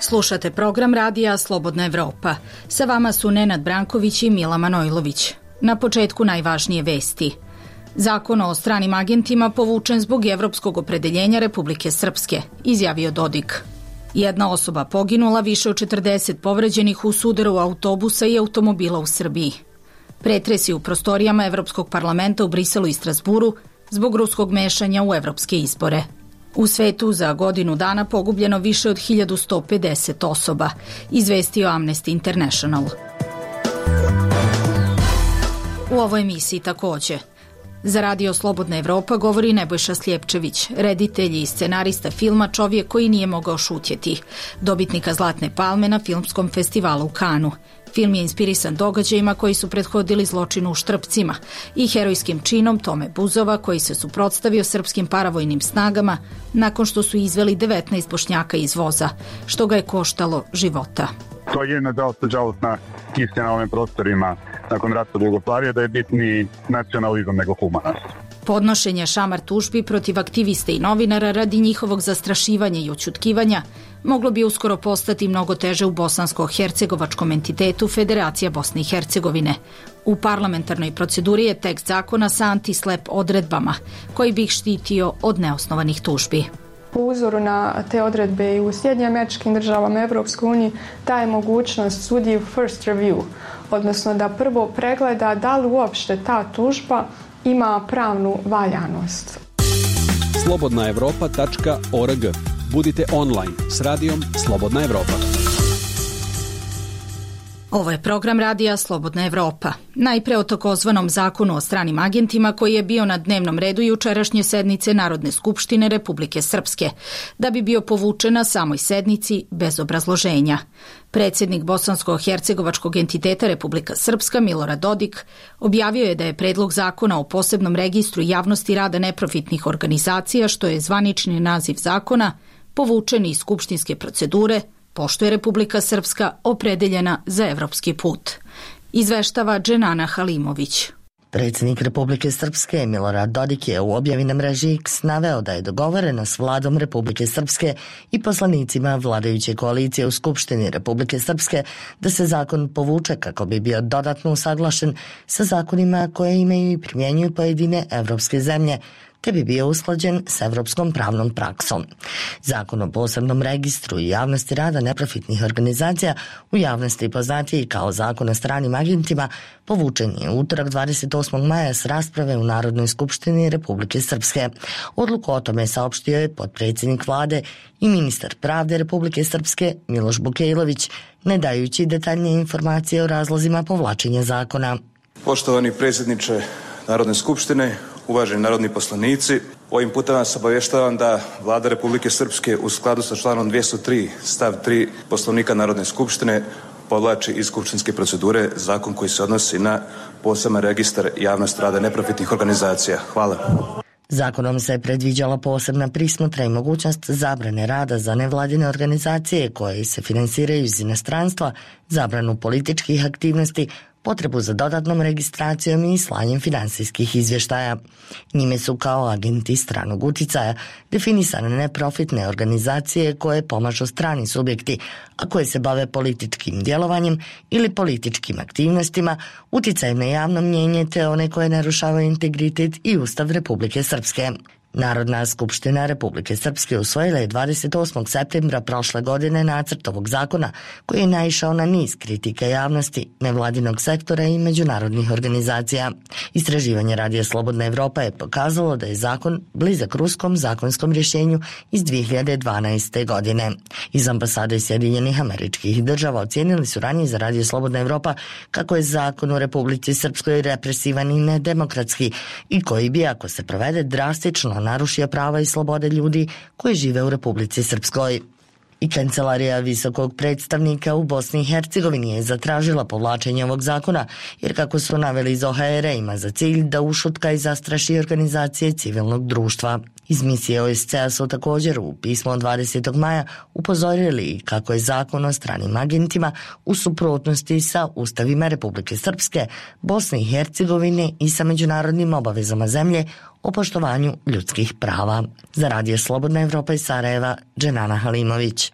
Slušate program radija Slobodna Evropa. Sa vama su Nenad Branković i Mila Manojlović. Na početku najvažnije vesti. Zakon o stranim agentima povučen zbog evropskog opredeljenja Republike Srpske, izjavio Dodik. Jedna osoba poginula, više od 40 povređenih u sudaru autobusa i automobila u Srbiji. Pretresi u prostorijama Evropskog parlamenta u Briselu i Strasburu zbog ruskog mešanja u evropske izbore. U svetu za godinu dana pogubljeno više od 1150 osoba, izvestio Amnesty International. U ovoj emisiji takođe. Za radio Slobodna Evropa govori Nebojša Sljepčević, reditelj i scenarista filma Čovjek koji nije mogao šutjeti, dobitnika Zlatne palme na filmskom festivalu u Kanu. Film je inspirisan događajima koji su prethodili zločinu u Štrpcima i herojskim činom Tome Buzova koji se suprotstavio srpskim paravojnim snagama nakon što su izveli 19 Bošnjaka iz voza, što ga je koštalo života. To je jedna dosta žalostna istina na ovim prostorima nakon rata Jugoslavije, da je bitniji nacionalizam nego humanost. Podnošenje šamar tužbi protiv aktivista i novinara radi njihovog zastrašivanja i ućutkivanja moglo bi uskoro postati mnogo teže u bosansko-hercegovačkom entitetu Federacija Bosne i Hercegovine. U parlamentarnoj proceduri je tekst zakona sa anti-slep odredbama koji bi ih štitio od neosnovanih tužbi. Po uzoru na te odredbe i u Sjedinjenim Američkim Državama, Evropskoj uniji, daje mogućnost sudiji first review, odnosno da prvo pregleda da li uopšte ta tužba ima pravnu valjanost. Slobodnaevropa.org. Budite online s radijom Slobodna Evropa. Ovo je program radija Slobodna Evropa. Najpre o takozvanom zakonu o stranim agentima koji je bio na dnevnom redu jučerašnje sednice Narodne skupštine Republike Srpske, da bi bio povučen na samoj sednici bez obrazloženja. Predsjednik bosansko-hercegovačkog entiteta Republika Srpska Milorad Dodik objavio je da je predlog zakona o posebnom registru javnosti rada neprofitnih organizacija, što je zvanični naziv zakona, povučen iz skupštinske procedure, pošto je Republika Srpska opredeljena za evropski put. Izveštava Dženana Halimović. Predsjednik Republike Srpske Milorad Dodik je u objavi na mreži X naveo da je dogovoreno s vladom Republike Srpske i poslanicima vladajuće koalicije u Skupštini Republike Srpske da se zakon povuče kako bi bio dodatno usaglašen sa zakonima koje imaju i primjenjuju pojedine evropske zemlje, te bi bio usklađen s evropskom pravnom praksom. Zakon o posebnom registru i javnosti rada neprofitnih organizacija, u javnosti poznatiji kao zakon o stranim agentima, povučen je utorak 28. maja s rasprave u Narodnoj skupštini Republike Srpske. Odluku o tome saopštio je potpredsjednik vlade i ministar pravde Republike Srpske Miloš Bukejlović, ne dajući detaljnije informacije o razlozima povlačenja zakona. Poštovani predsjedniče Narodne skupštine, uvaženi narodni poslanici, ovim putem vas obavještavam da Vlada Republike Srpske u skladu sa članom 203 stav 3 Poslovnika Narodne skupštine povlači iz skupštinske procedure zakon koji se odnosi na poseban registar javnosti rada neprofitnih organizacija. Hvala. Zakonom se predviđala posebna prismotra i mogućnost zabrane rada za nevladine organizacije koje se finansiraju iz inostranstva, zabranu političkih aktivnosti, potrebu za dodatnom registracijom i slanjem finansijskih izvještaja. Njime su kao agenti stranog uticaja definisane neprofitne organizacije koje pomažu strani subjekti, a koje se bave političkim djelovanjem ili političkim aktivnostima, uticajem na javno mnjenje te one koje narušavaju integritet i Ustav Republike Srpske. Narodna skupština Republike Srpske usvojila je 28. septembra prošle godine nacrt ovog zakona koji je naišao na niz kritika javnosti, nevladinog sektora i međunarodnih organizacija. Istraživanje radija Slobodna Evropa je pokazalo da je zakon blizak ruskom zakonskom rješenju iz 2012. godine. Iz ambasade Sjedinjenih Američkih Država ocijenili su ranije za radio Slobodna Evropa kako je zakon u Republici Srpskoj represivan i nedemokratski i koji bi, ako se provede, drastično narušio prava i slobode ljudi koji žive u Republici Srpskoj. I kancelarija visokog predstavnika u Bosni i Hercegovini je zatražila povlačenje ovog zakona, jer kako su naveli iz OHR ima za cilj da ušutka i zastraši organizacije civilnog društva. Iz misije OSCE su također u pismu od 20. maja upozorili kako je zakon o stranim agentima u suprotnosti sa ustavima Republike Srpske, Bosne i Hercegovine i sa međunarodnim obavezama zemlje o poštovanju ljudskih prava. Za radio Slobodna Evropa iz Sarajeva, Dženana Halimović.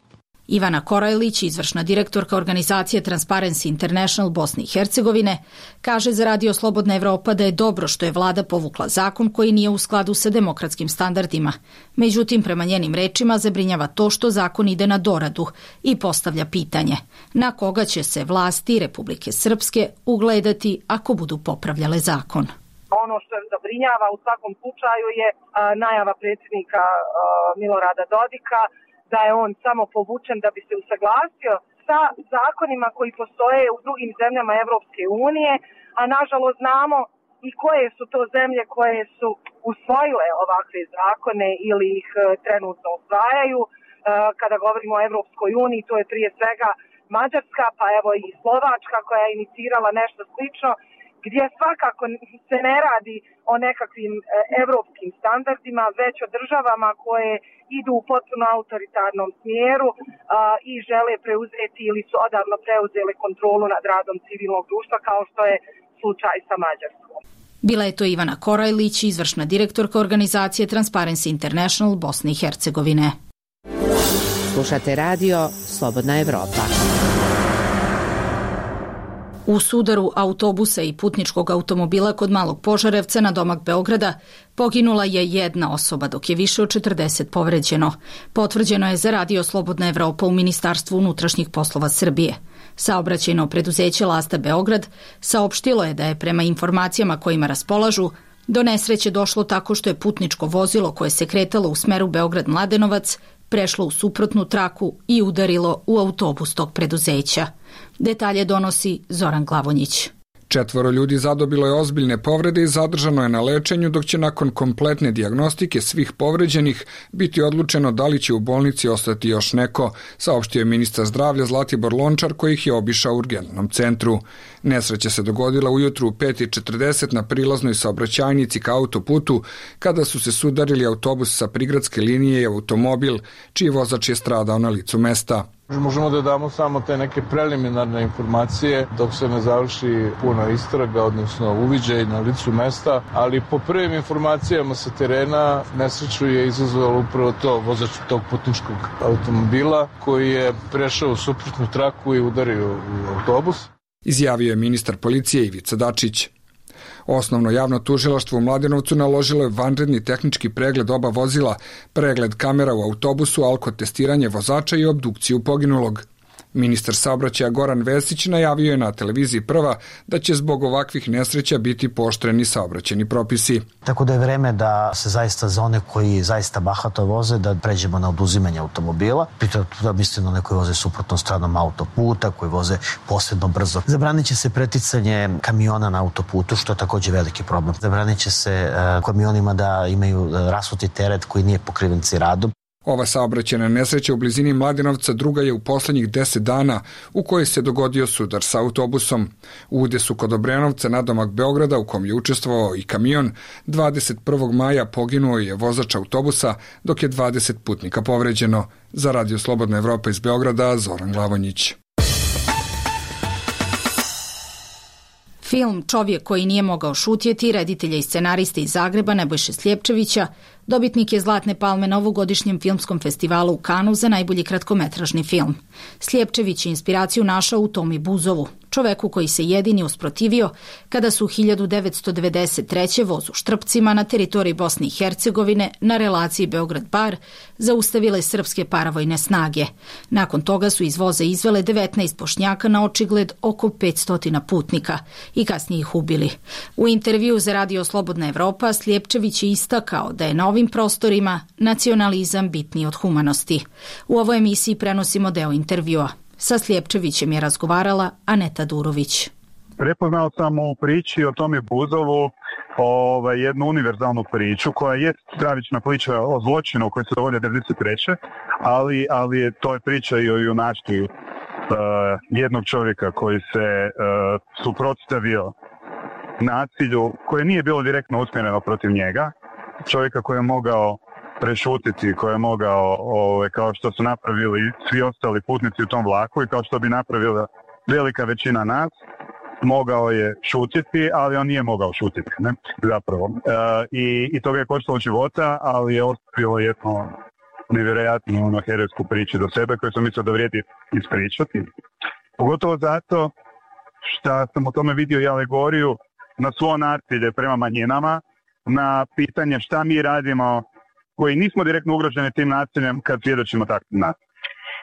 Ivana Korajlić, izvršna direktorka organizacije Transparency International Bosne i Hercegovine, kaže za Radio Slobodna Evropa da je dobro što je vlada povukla zakon koji nije u skladu sa demokratskim standardima. Međutim, prema njenim rečima zabrinjava to što zakon ide na doradu i postavlja pitanje na koga će se vlasti Republike Srpske ugledati ako budu popravljale zakon. Ono što je zabrinjava u svakom slučaju je najava predsjednika Milorada Dodika da je on samo povučen da bi se usaglasio sa zakonima koji postoje u drugim zemljama Evropske unije, a nažalost znamo i koje su to zemlje koje su usvojile ovakve zakone ili ih trenutno usvajaju. Kada govorimo o Evropskoj uniji, to je prije svega Mađarska, pa evo i Slovačka koja je inicirala nešto slično, gdje svakako se ne radi o nekakvim evropskim standardima, već o državama koje idu u potpuno autoritarnom smjeru i žele preuzeti ili su odavno preuzele kontrolu nad radom civilnog društva, kao što je slučaj sa Mađarskom. Bila je to Ivana Korajlić, izvršna direktorka organizacije Transparency International Bosne i Hercegovine. Slušate radio Slobodna Evropa. U sudaru autobusa i putničkog automobila kod Malog Požarevca na domak Beograda poginula je jedna osoba, dok je više od 40 povređeno. Potvrđeno je za Radio Slobodna Evropa u Ministarstvu unutrašnjih poslova Srbije. Saobraćajno preduzeće Lasta Beograd saopštilo je da je prema informacijama kojima raspolažu do nesreće došlo tako što je putničko vozilo koje se kretalo u smeru Beograd-Mladenovac prešlo u suprotnu traku i udarilo u autobus tog preduzeća. Detalje donosi Zoran Glavonjić. 4 ljudi zadobilo je ozbiljne povrede i zadržano je na lečenju, dok će nakon kompletne dijagnostike svih povređenih biti odlučeno da li će u bolnici ostati još neko, saopštio je ministar zdravlja Zlatibor Lončar koji ih je obišao u urgentnom centru. Nesreća se dogodila ujutru u 5:40 na prilaznoj saobraćajnici ka autoputu, kada su se sudarili autobus sa prigradske linije i automobil, čiji vozač je stradao na licu mesta. Možemo da damo samo te neke preliminarne informacije dok se ne završi puna istraga, odnosno uviđaj na licu mesta, ali po prvim informacijama sa terena nesreću je izazvalo upravo to, vozač tog putničkog automobila koji je prešao u suprotnu traku i udario u autobus. Izjavio je ministar policije Ivica Dačić. Osnovno javno tužilaštvo u Mladenovcu naložilo je vanredni tehnički pregled oba vozila, pregled kamera u autobusu, alkotestiranje vozača i obdukciju poginulog. Ministar saobraćaja Goran Vesić najavio je na televiziji Prva da će zbog ovakvih nesreća biti pooštreni saobraćajni propisi. Tako da je vreme da se zaista za one koji zaista bahato voze da pređemo na oduzimanje automobila. Pritom da mislim na one koji voze suprotnom stranom autoputa, koji voze posebno brzo. Zabranit će se preticanje kamiona na autoputu, što je također veliki problem. Zabranit će se kamionima da imaju rasuti teret koji nije pokriven ciradom. Ova saobraćajna nesreća u blizini Mladenovca druga je u poslednjih 10 dana u kojoj se dogodio sudar sa autobusom. U udesu kod Obrenovca na domak Beograda, u kom je učestvovao i kamion, 21. maja poginuo je vozač autobusa, dok je 20 putnika povređeno. Za Radio Slobodna Evropa iz Beograda, Zoran Glavonjić. Film Čovjek koji nije mogao šutjeti, reditelja i scenariste iz Zagreba Nebojše Sljepčevića, dobitnik je Zlatne palme na ovogodišnjem filmskom festivalu u Kanu za najbolji kratkometražni film. Sljepčević je inspiraciju našao u Tomi Buzovu, čoveku koji se jedini usprotivio kada su 1993. voz u Štrpcima na teritoriji Bosne i Hercegovine na relaciji Beograd-Bar zaustavile srpske paravojne snage. Nakon toga su iz voza izvele 19 Bošnjaka na očigled oko 500 putnika i kasnije ih ubili. U intervju za Radio Slobodna Evropa Sljepčević je istakao da je na ovim prostorima nacionalizam bitniji od humanosti. U ovoj emisiji prenosimo deo intervjua. Sa Sljepčevićem je razgovarala Aneta Durović. Prepoznao sam u priči o Tomi Buzovu jednu univerzalnu priču koja je stravična priča o zločinu koji se dogodio 1993. ali to je priča i o junaštvu jednog čovjeka koji se suprotstavio nasilju koje nije bilo direktno usmjereno protiv njega, čovjeka koji je mogao prešutiti, koji je mogao, kao što su napravili svi ostali putnici u tom vlaku i kao što bi napravila velika većina nas, mogao je šutiti, ali on nije mogao šutiti, zapravo. I toga je koštalo života, ali je ostavilo jedno nevjerojatnu herojsku priču do sebe koju sam mislio da vrijedi ispričati. Pogotovo zato što sam u tome vidio i alegoriju na svo nasilje prema manjinama, na pitanje šta mi radimo koji nismo direktno ugroženi tim nasiljem kad svjedočimo takvim nasiljem.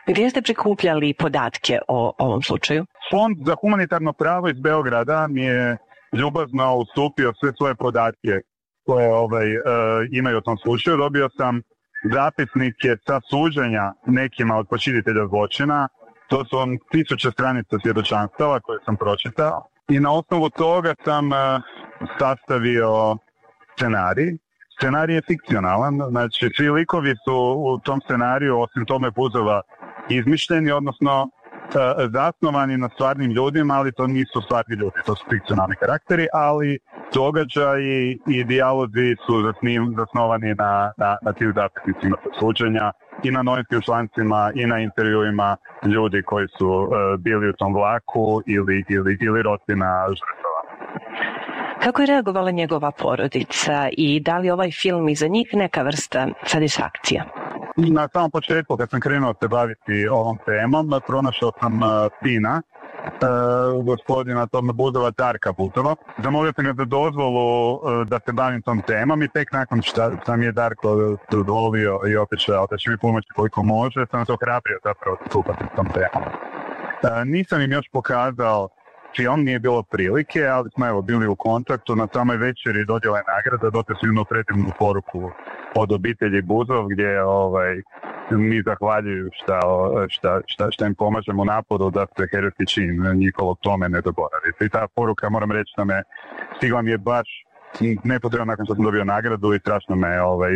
Gdje ste prikupljali podatke o ovom slučaju? Fond za humanitarno pravo iz Beograda mi je ljubazno ustupio sve svoje podatke koje imaju o tom slučaju. Dobio sam zapisnike sa suđenja nekima od počinitelja zločina. To su 1000 stranica svjedočanstava koje sam pročitao. I na osnovu toga sam sastavio scenarij. Scenarij je fikcionalan, znači svi likovi su u tom scenariju, osim Tome Buzova, izmišljeni, odnosno zasnovani na stvarnim ljudima, ali to nisu stvarni ljudi, to su fikcionalni karakteri, ali događaji i dijalozi su zasnovani na tim zapisnicima suđenja i na novinskim člancima i na intervjuima ljudi koji su bili u tom vlaku ili rodbina žrtava. Kako je reagovala njegova porodica i da li ovaj film iza njih neka vrsta satisfakcija? Na samom početku, kad sam krenuo se baviti ovom temom, pronašao sam sina, gospodina Tome Buzova, Darka Buzova. Zamolio sam ga za dozvolu da se bavim tom temom i tek nakon što sam je Darko dozvolio i otišao da će mi pomoći koliko može, sam se ohrabrio zapravo stupati s tom temom. Nisam im još pokazao film, nije bilo prilike, ali smo bili u kontaktu na samoj večeri dodjele nagrada, dotle su imali predivnu poruku od obitelji Buzov gdje mi zahvaljuju šta im pomažemo u naporu da se herojski čin njihovog tome ne dogoravi. I ta poruka, moram reći, da me stigla mi je baš nepotrebno nakon što sam dobio nagradu i strašno me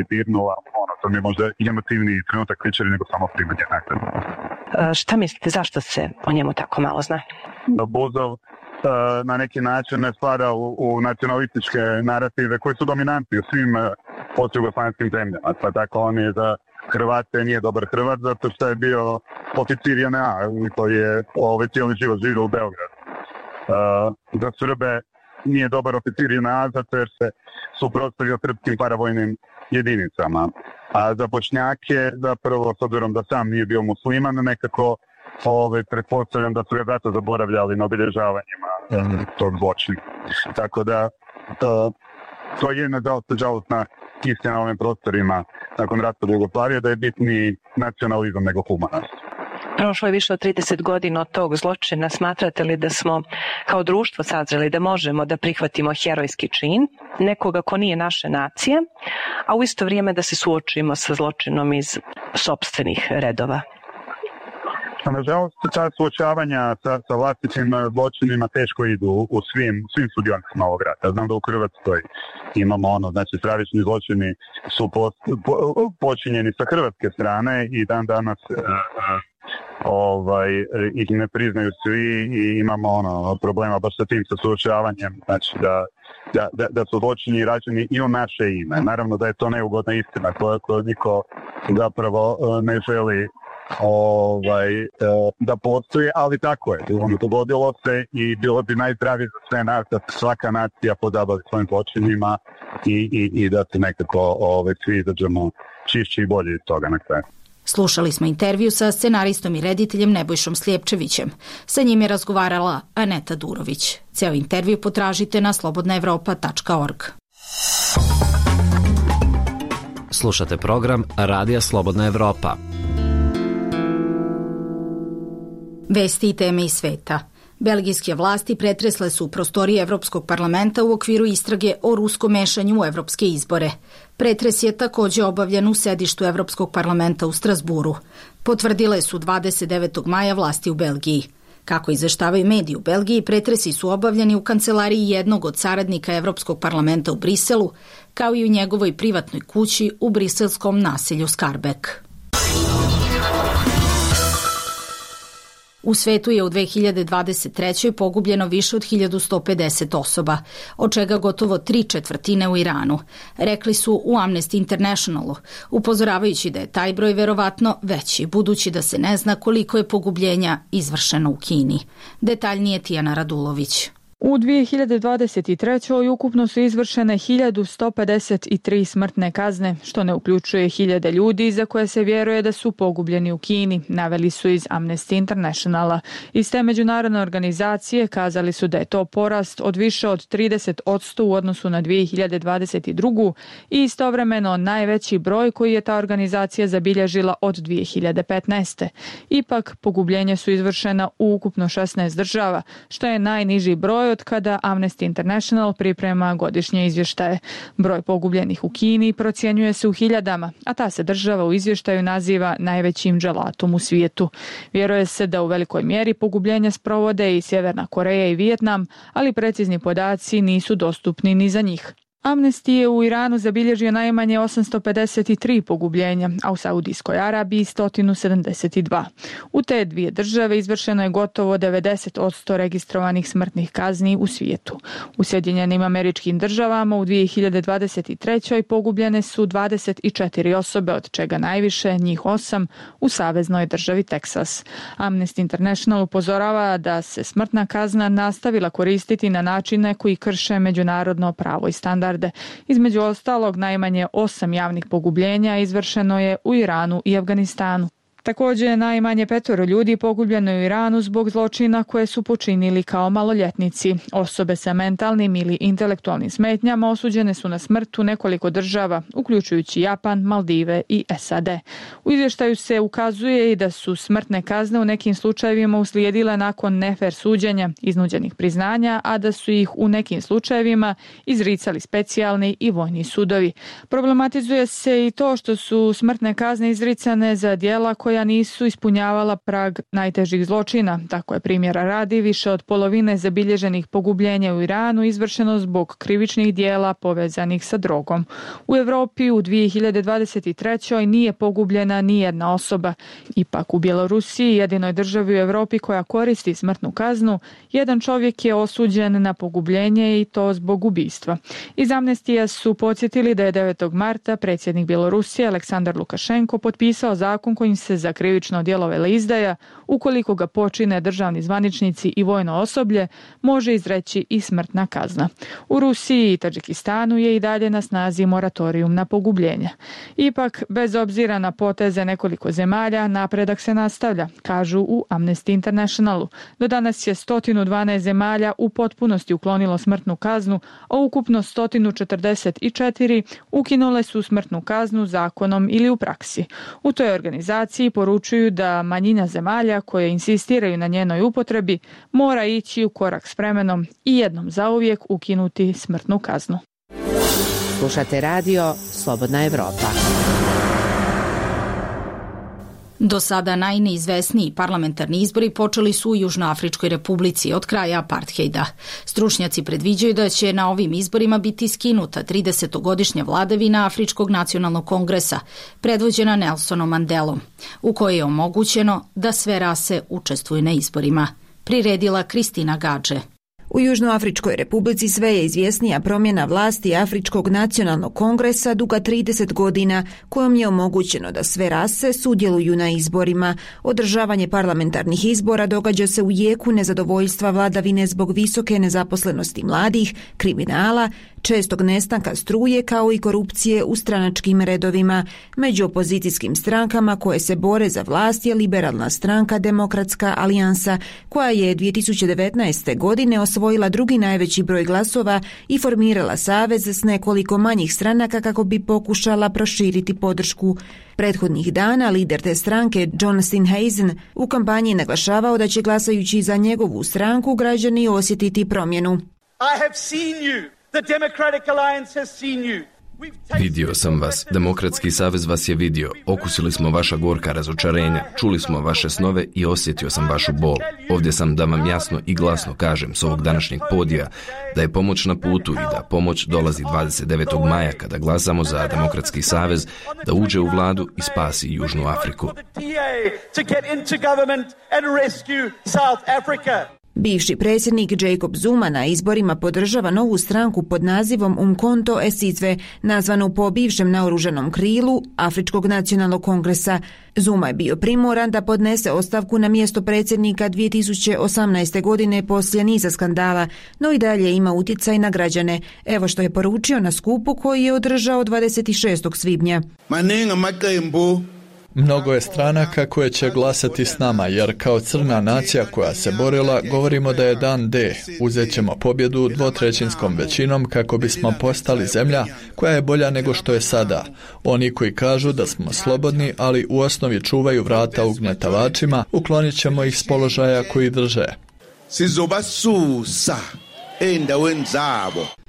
dirnula. To mi je možda emotivniji trenutak večeri nego samo primanje nagrade. Šta mislite, zašto se o njemu tako malo zna? Buzov na neki način ne spada u nacionalističke narative koji su dominantni u svim postjugoslavenskim zemljama. Pa tako on je za Hrvate nije dobar Hrvat zato što je bio oficir JNA koji je cijeli život živio u Beogradu. Za Srbe nije dobar oficir JNA zato jer se suprotstavio srpskim paravojnim jedinicama. A za Bošnjake, zapravo, s obzirom da sam nije bio musliman, nekako pretpostavljam da su ga zato zaboravljali na obilježavanjima tog zločina. Tako da, to je nažalostna istina na ovim prostorima nakon raspada Jugoslavije, da je bitniji nacionalizam nego humanost. Prošlo je više od 30 godina od tog zločina. Smatrate li da smo kao društvo sazreli da možemo da prihvatimo herojski čin nekoga ko nije naše nacije, a u isto vrijeme da se suočimo sa zločinom iz sopstvenih redova? Nažalost, ta suočavanja sa vlastitim zločinima teško idu u svim sudionicima ovog rata. Znam da u Hrvatskoj imamo znači stravični zločini su počinjeni sa hrvatske strane i dan danas ih ne priznaju svi i imamo problema baš sa tim suočavanjem, znači da su zločini rađeni i u naše ime. Naravno da je to neugodna istina koju niko zapravo ne želi da postoji, ali tako je. Dogodilo se i bilo bi najzdravije za sve nas da svaka nacija pozabavi svojim zločinima i da se nekako svi izađemo čišći i bolji iz toga na kraju. Slušali smo intervju sa scenaristom i rediteljem Nebojšom Sljepčevićem. Sa njim je razgovarala Aneta Durović. Ceo intervju potražite na slobodnaevropa.org. Slušate program Radija Slobodna Evropa. Vesti i teme iz sveta. Belgijske vlasti pretresle su prostorije Evropskog parlamenta u okviru istrage o ruskom mešanju u evropske izbore. Pretres je također obavljen u sedištu Evropskog parlamenta u Strasburu. Potvrdile su 29. maja vlasti u Belgiji. Kako izveštavaju mediji u Belgiji, pretresi su obavljeni u kancelariji jednog od saradnika Evropskog parlamenta u Briselu, kao i u njegovoj privatnoj kući u briselskom naselju Skarbek. U svetu je u 2023. pogubljeno više od 1150 osoba, od čega gotovo 3/4 u Iranu, rekli su u Amnesty Internationalu, upozoravajući da je taj broj verovatno veći, budući da se ne zna koliko je pogubljenja izvršeno u Kini. Detaljnije Tijana Radulović. U 2023. ukupno su izvršene 1153 smrtne kazne, što ne uključuje hiljade ljudi za koje se vjeruje da su pogubljeni u Kini, naveli su iz Amnesty Internationala. Iz te međunarodne organizacije kazali su da je to porast od više od 30% u odnosu na 2022. i istovremeno najveći broj koji je ta organizacija zabilježila od 2015. Ipak, pogubljenja su izvršena u ukupno 16 država, što je najniži broj od kada Amnesty International priprema godišnje izvještaje. Broj pogubljenih u Kini procjenjuje se u hiljadama, a ta se država u izvještaju naziva najvećim dželatom u svijetu. Vjeruje se da u velikoj mjeri pogubljenja sprovode i Sjeverna Koreja i Vijetnam, ali precizni podaci nisu dostupni ni za njih. Amnesty je u Iranu zabilježio najmanje 853 pogubljenja, a u Saudijskoj Arabiji 172. U te dvije države izvršeno je gotovo 90% registrovanih smrtnih kazni u svijetu. U Sjedinjenim Američkim Državama u 2023. pogubljene su 24 osobe, od čega najviše, njih 8, u saveznoj državi Teksas. Amnesty International upozorava da se smrtna kazna nastavila koristiti na načine koji krše međunarodno pravo i standard. Između ostalog, najmanje 8 javnih pogubljenja izvršeno je u Iranu i Afganistanu. Također, najmanje 5 ljudi pogubljeno je u Iranu zbog zločina koje su počinili kao maloljetnici. Osobe sa mentalnim ili intelektualnim smetnjama osuđene su na smrt u nekoliko država, uključujući Japan, Maldive i SAD. U izvještaju se ukazuje i da su smrtne kazne u nekim slučajevima uslijedile nakon nefer suđenja, iznuđenih priznanja, a da su ih u nekim slučajevima izricali specijalni i vojni sudovi. Problematizuje se i to što su smrtne kazne izricane za djela koja nisu ispunjavala prag najtežih zločina. Tako je, primjera radi, više od polovine zabilježenih pogubljenja u Iranu izvršeno zbog krivičnih dijela povezanih sa drogom. U Europi u 2023. nije pogubljena ni jedna osoba. Ipak u Bjelorusiji, jedinoj državi u Europi koja koristi smrtnu kaznu, jedan čovjek je osuđen na pogubljenje i to zbog ubistva. Iz Amnestija su podsjetili da je 9. marta predsjednik Bjelorusije Aleksandar Lukašenko potpisao zakon kojim se za krivično djelo veleizdaja, ukoliko ga počine državni zvaničnici i vojno osoblje, može izreći i smrtna kazna. U Rusiji i Tadžikistanu je i dalje na snazi moratorijum na pogubljenja. Ipak, bez obzira na poteze nekoliko zemalja, napredak se nastavlja, kažu u Amnesty Internationalu. Do danas je 112 zemalja u potpunosti uklonilo smrtnu kaznu, a ukupno 144 ukinule su smrtnu kaznu zakonom ili u praksi. U toj organizaciji poručuju da manjina zemalja koje insistiraju na njenoj upotrebi mora ići u korak s vremenom i jednom zauvijek ukinuti smrtnu kaznu. Slušate radio Slobodna Evropa. Do sada najneizvesniji parlamentarni izbori počeli su u Južnoafričkoj republici od kraja aparthejda. Stručnjaci predviđaju da će na ovim izborima biti skinuta 30-godišnja vladavina Afričkog nacionalnog kongresa, predvođena Nelsonom Mandelom, u kojoj je omogućeno da sve rase učestvuju na izborima. Priredila Kristina Gadže. U Južnoafričkoj republici sve je izvjesnija promjena vlasti Afričkog nacionalnog kongresa duga 30 godina, kojom je omogućeno da sve rase sudjeluju na izborima. Održavanje parlamentarnih izbora događa se u jeku nezadovoljstva vladavine zbog visoke nezaposlenosti mladih, kriminala, čestog nestanka struje kao i korupcije u stranačkim redovima. Među opozicijskim strankama koje se bore za vlast je liberalna stranka Demokratska alijansa, koja je 2019. godine osvojila drugi najveći broj glasova i formirala savez s nekoliko manjih stranaka kako bi pokušala proširiti podršku. Prethodnih dana lider te stranke John Steenhuisen u kampanji je naglašavao da će glasajući za njegovu stranku građani osjetiti promjenu. I have seen you. The Democratic Alliance has seen you. Vidio sam vas, Demokratski savez vas je vidio, okusili smo vaša gorka razočarenja, čuli smo vaše snove i osjetio sam vašu bol. Ovdje sam da vam jasno i glasno kažem s ovog današnjeg podija da je pomoć na putu i da pomoć dolazi 29. maja kada glasamo za Demokratski savez da uđe u vladu i spasi Južnu Afriku. Bivši predsjednik Jacob Zuma na izborima podržava novu stranku pod nazivom Umkhonto Sizwe, nazvanu po bivšem naoružanom krilu Afričkog nacionalnog kongresa. Zuma je bio primoran da podnese ostavku na mjesto predsjednika 2018. godine poslije niza skandala, no i dalje ima utjecaj na građane. Evo što je poručio na skupu koji je održao 26. svibnja. Mnogo je stranaka koje će glasati s nama, jer kao crna nacija koja se borila, govorimo da je dan D. Uzet ćemo pobjedu 2/3 većinom kako bismo postali zemlja koja je bolja nego što je sada. Oni koji kažu da smo slobodni, ali u osnovi čuvaju vrata ugnjetavačima, uklonit ćemo ih s položaja koji drže.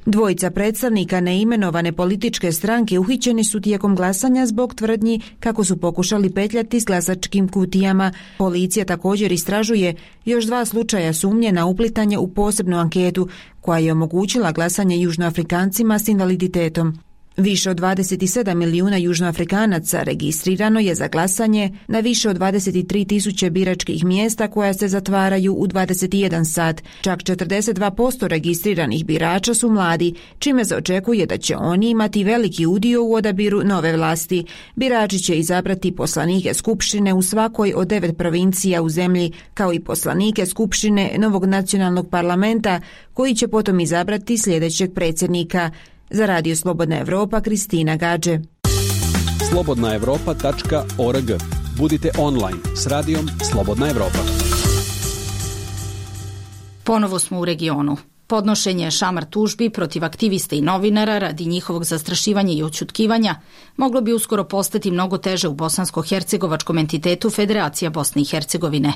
Dvojica predstavnika neimenovane političke stranke uhićeni su tijekom glasanja zbog tvrdnji kako su pokušali petljati s glasačkim kutijama. Policija također istražuje još 2 slučaja sumnje na uplitanje u posebnu anketu koja je omogućila glasanje Južnoafrikancima s invaliditetom. Više od 27 milijuna Južnoafrikanaca registrirano je za glasanje na više od 23.000 biračkih mjesta koja se zatvaraju u 21 sat. Čak 42% registriranih birača su mladi, čime se očekuje da će oni imati veliki udio u odabiru nove vlasti. Birači će izabrati poslanike skupštine u svakoj od 9 provincija u zemlji, kao i poslanike skupštine novog nacionalnog parlamenta, koji će potom izabrati sljedećeg predsjednika. Za Radio Slobodna Evropa, Kristina Gađe. slobodnaevropa.org. Budite online s radijom Slobodna Evropa. Ponovo smo u regionu. Podnošenje šamar tužbi protiv aktivista i novinara radi njihovog zastrašivanja i odćutkivanja moglo bi uskoro postati mnogo teže u bosansko-hercegovačkom entitetu Federacija Bosne i Hercegovine.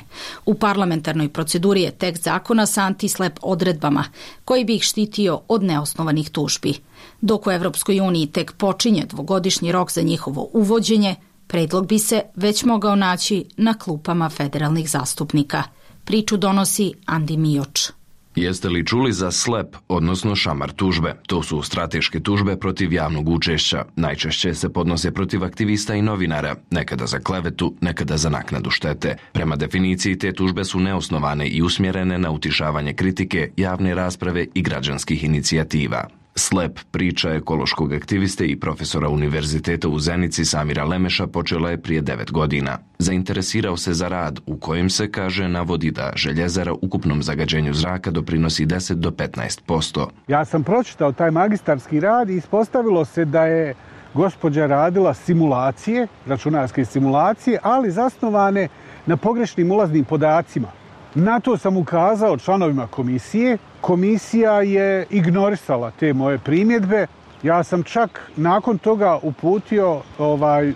U parlamentarnoj proceduri je tekst zakona sa antislep odredbama koji bi ih štitio od neosnovanih tužbi. Dok u Evropskoj uniji tek počinje 2-godišnji rok za njihovo uvođenje, predlog bi se već mogao naći na klupama federalnih zastupnika. Priču donosi Andi Mijoč. Jeste li čuli za SLEP, odnosno šamar tužbe? To su strateške tužbe protiv javnog učešća. Najčešće se podnose protiv aktivista i novinara, nekada za klevetu, nekada za naknadu štete. Prema definiciji te tužbe su neosnovane i usmjerene na utišavanje kritike, javne rasprave i građanskih inicijativa. SLEP, priča ekološkog aktiviste i profesora univerziteta u Zenici Samira Lemeša, počela je prije 9 godina. Zainteresirao se za rad u kojem se, kaže, navodi da željezara ukupnom zagađenju zraka doprinosi 10 do 15%. Ja sam pročitao taj magistarski rad i ispostavilo se da je gospođa radila simulacije, računarske simulacije, ali zasnovane na pogrešnim ulaznim podacima. Na to sam ukazao članovima komisije. Komisija je ignorisala te moje primjedbe. Ja sam čak nakon toga uputio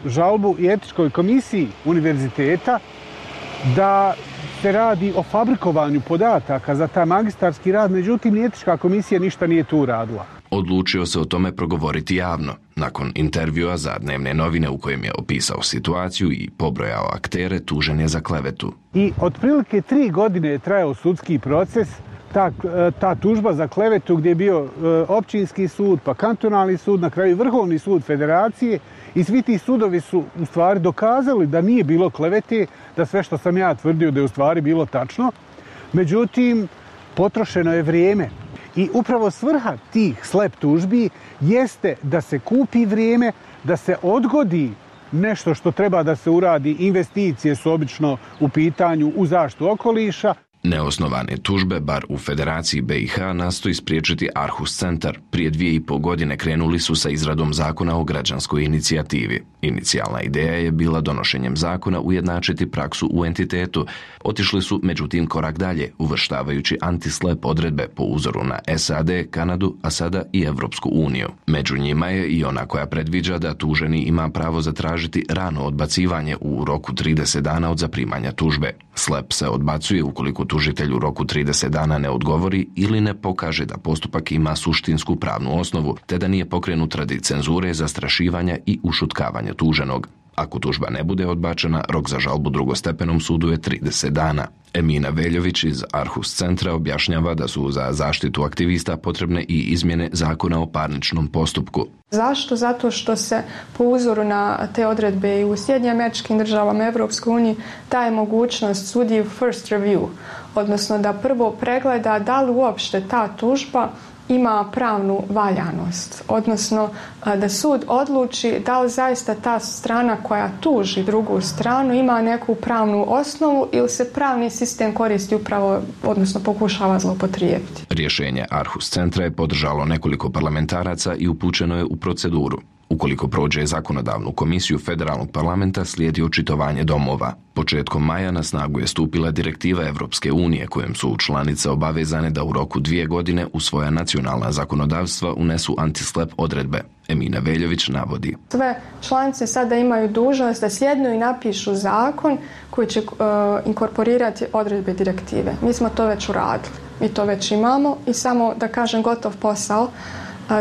žalbu i etičkoj komisiji univerziteta da se radi o fabrikovanju podataka za taj magistarski rad, međutim ni etička komisija ništa nije tu uradila. Odlučio se o tome progovoriti javno, nakon intervjua za dnevne novine u kojem je opisao situaciju i pobrojao aktere, tužen je za klevetu. I otprilike 3 godine je trajao sudski proces, ta tužba za klevetu gdje je bio općinski sud, pa kantonalni sud, na kraju Vrhovni sud Federacije, i svi ti sudovi su u stvari dokazali da nije bilo klevete, da sve što sam ja tvrdio da je u stvari bilo tačno. Međutim, potrošeno je vrijeme. I upravo svrha tih SLEP tužbi jeste da se kupi vrijeme, da se odgodi nešto što treba da se uradi. Investicije su obično u pitanju u zaštitu okoliša. Neosnovane tužbe, bar u Federaciji BiH, nastoji spriječiti Arhus centar. Prije 2,5 godine krenuli su sa izradom zakona o građanskoj inicijativi. Inicijalna ideja je bila donošenjem zakona ujednačiti praksu u entitetu. Otišli su međutim korak dalje, uvrštavajući antislep odredbe po uzoru na SAD, Kanadu, a sada i Evropsku uniju. Među njima je i ona koja predviđa da tuženi ima pravo zatražiti rano odbacivanje u roku 30 dana od zaprimanja tužbe. SLEP se odbacuje ukoliko tužitelj u roku 30 dana ne odgovori ili ne pokaže da postupak ima suštinsku pravnu osnovu, te da nije pokrenut radi cenzure, zastrašivanja i ušutkavanja tuženog. Ako tužba ne bude odbačena, rok za žalbu drugostepenom sudu je 30 dana. Emina Veljović iz Arhus centra objašnjava da su za zaštitu aktivista potrebne i izmjene zakona o parničnom postupku. Zašto? Zato što se po uzoru na te odredbe i u Sjedinjenim Američkim Državama, Evropskoj uniji, daje mogućnost sudiji first review, odnosno da prvo pregleda da li uopšte ta tužba ima pravnu valjanost, odnosno da sud odluči da li zaista ta strana koja tuži drugu stranu ima neku pravnu osnovu ili se pravni sistem koristi upravo, odnosno pokušava zloupotrijebiti. Rješenje Arhus centra je podržalo nekoliko parlamentaraca i upućeno je u proceduru. Ukoliko prođe zakonodavnu komisiju federalnog parlamenta, slijedi očitovanje domova. Početkom maja na snagu je stupila direktiva Evropske unije kojom su članice obavezane da u roku 2 godine u svoja nacionalna zakonodavstva unesu antislap odredbe. Emina Veljović navodi. Sve članice sada imaju dužnost da sjednu i napišu zakon koji će inkorporirati odredbe direktive. Mi smo to već uradili. Mi to već imamo i samo da kažem gotov posao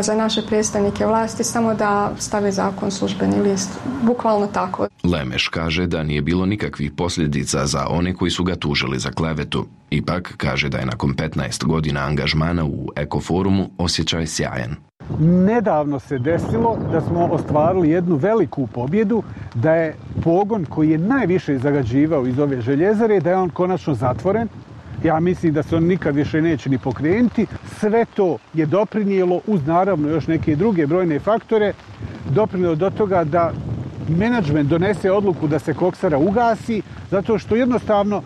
za naše predstavnike vlasti, samo da stave zakon službeni list. Bukvalno tako. Lemeš kaže da nije bilo nikakvih posljedica za one koji su ga tužili za klevetu. Ipak kaže da je nakon 15 godina angažmana u Ekoforumu osjećaj sjajan. Nedavno se desilo da smo ostvarili jednu veliku pobjedu, da je pogon koji je najviše zagađivao iz ove željezare, da je on konačno zatvoren. Ja mislim da se on nikad više neće ni pokrenuti. Sve to je doprinijelo, uz naravno još neke druge brojne faktore, doprinijelo do toga da menadžment donese odluku da se koksara ugasi, zato što jednostavno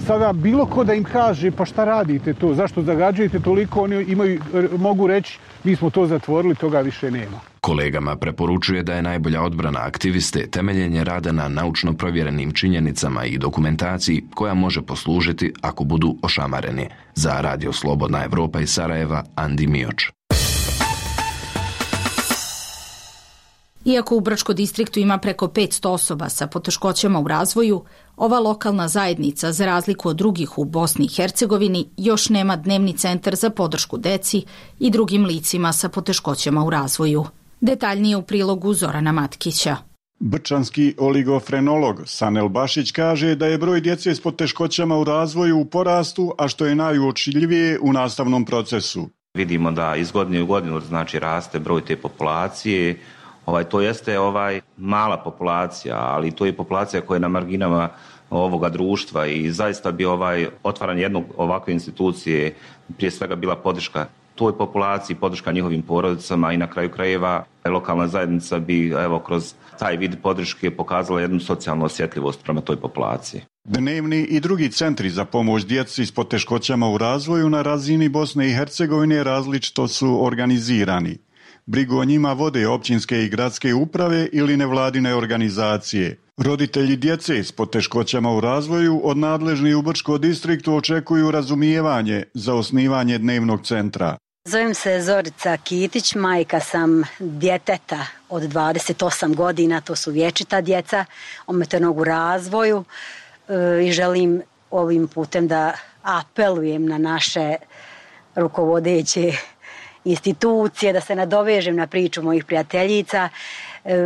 sada bilo ko da im kaže pa šta radite to, zašto zagađujete toliko, oni mogu reći mi smo to zatvorili, toga više nema. Kolegama preporučuje da je najbolja odbrana aktiviste temeljenje rada na naučno provjerenim činjenicama i dokumentaciji koja može poslužiti ako budu ošamareni. Za Radio Slobodna Evropa iz Sarajeva, Andi Mioč. Iako u Brčko distriktu ima preko 500 osoba sa poteškoćama u razvoju, ova lokalna zajednica, za razliku od drugih u Bosni i Hercegovini, još nema dnevni centar za podršku deci i drugim licima sa poteškoćama u razvoju. Detaljnije u prilogu Zorana Matkića. Brčanski oligofrenolog Sanel Bašić kaže da je broj djece s poteškoćama u razvoju u porastu, a što je najuočljivije u nastavnom procesu. Vidimo da iz godine u godinu raste broj te populacije. To jeste mala populacija, ali to je populacija koja je na marginama ovoga društva i zaista bi otvaranje jednog ovakve institucije prije svega bila podrška toj populaciji, podrška njihovim porodicama i na kraju krajeva lokalna zajednica bi kroz taj vid podrške pokazala jednu socijalnu osjetljivost prema toj populaciji. Dnevni i drugi centri za pomoć djeci s poteškoćama u razvoju na razini Bosne i Hercegovine različito su organizirani. Brigu o njima vode općinske i gradske uprave ili nevladine organizacije. Roditelji djece s poteškoćama u razvoju od nadležnih u Brčko distriktu očekuju razumijevanje za osnivanje dnevnog centra. Zovem se Zorica Kitić, majka sam djeteta od 28 godina, to su vječita djeca, ometenog u razvoju i želim ovim putem da apelujem na naše rukovodeće institucije, da se nadovežem na priču mojih prijateljica.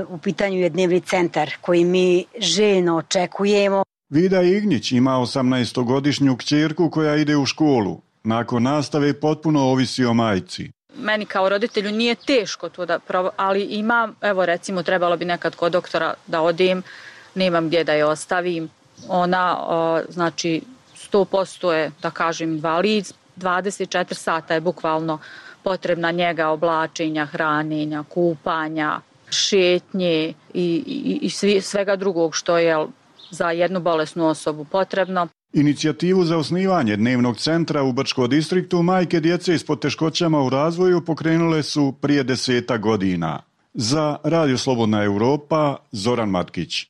U pitanju je dnevni centar koji mi željno očekujemo. Vida Ignić ima 18-godišnju kćerku koja ide u školu. Nakon nastave potpuno ovisi o majci. Meni kao roditelju nije teško to ali imam, recimo trebalo bi nekad kod doktora da odem, nemam gdje da je ostavim. Ona, 100% je, da kažem, invalid, 24 sata je bukvalno potrebna njega, oblačenja, hranjenja, kupanja, šetnje i svega drugog što je za jednu bolesnu osobu potrebno. Inicijativu za osnivanje dnevnog centra u Brčko distriktu majke djece s poteškoćama u razvoju pokrenule su prije 10 godina. Za Radio Slobodna Evropa, Zoran Matkić.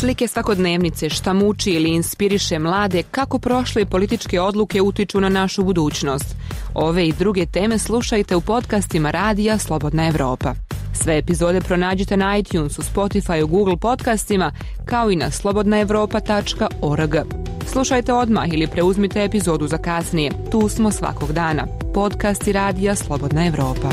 Slike svakodnevnice, šta muči ili inspiriše mlade, kako prošle političke odluke utiču na našu budućnost. Ove i druge teme slušajte u podcastima Radija Slobodna Evropa. Sve epizode pronađite na iTunesu, Spotifyu, Google podcastima, kao i na slobodnaevropa.org. Slušajte odmah ili preuzmite epizodu za kasnije. Tu smo svakog dana. Podcasti Radija Slobodna Evropa.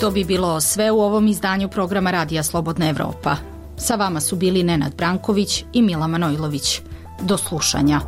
to bi bilo sve u ovom izdanju programa Radija Slobodna Evropa. Sa vama su bili Nenad Branković i Mila Manojlović. Do slušanja.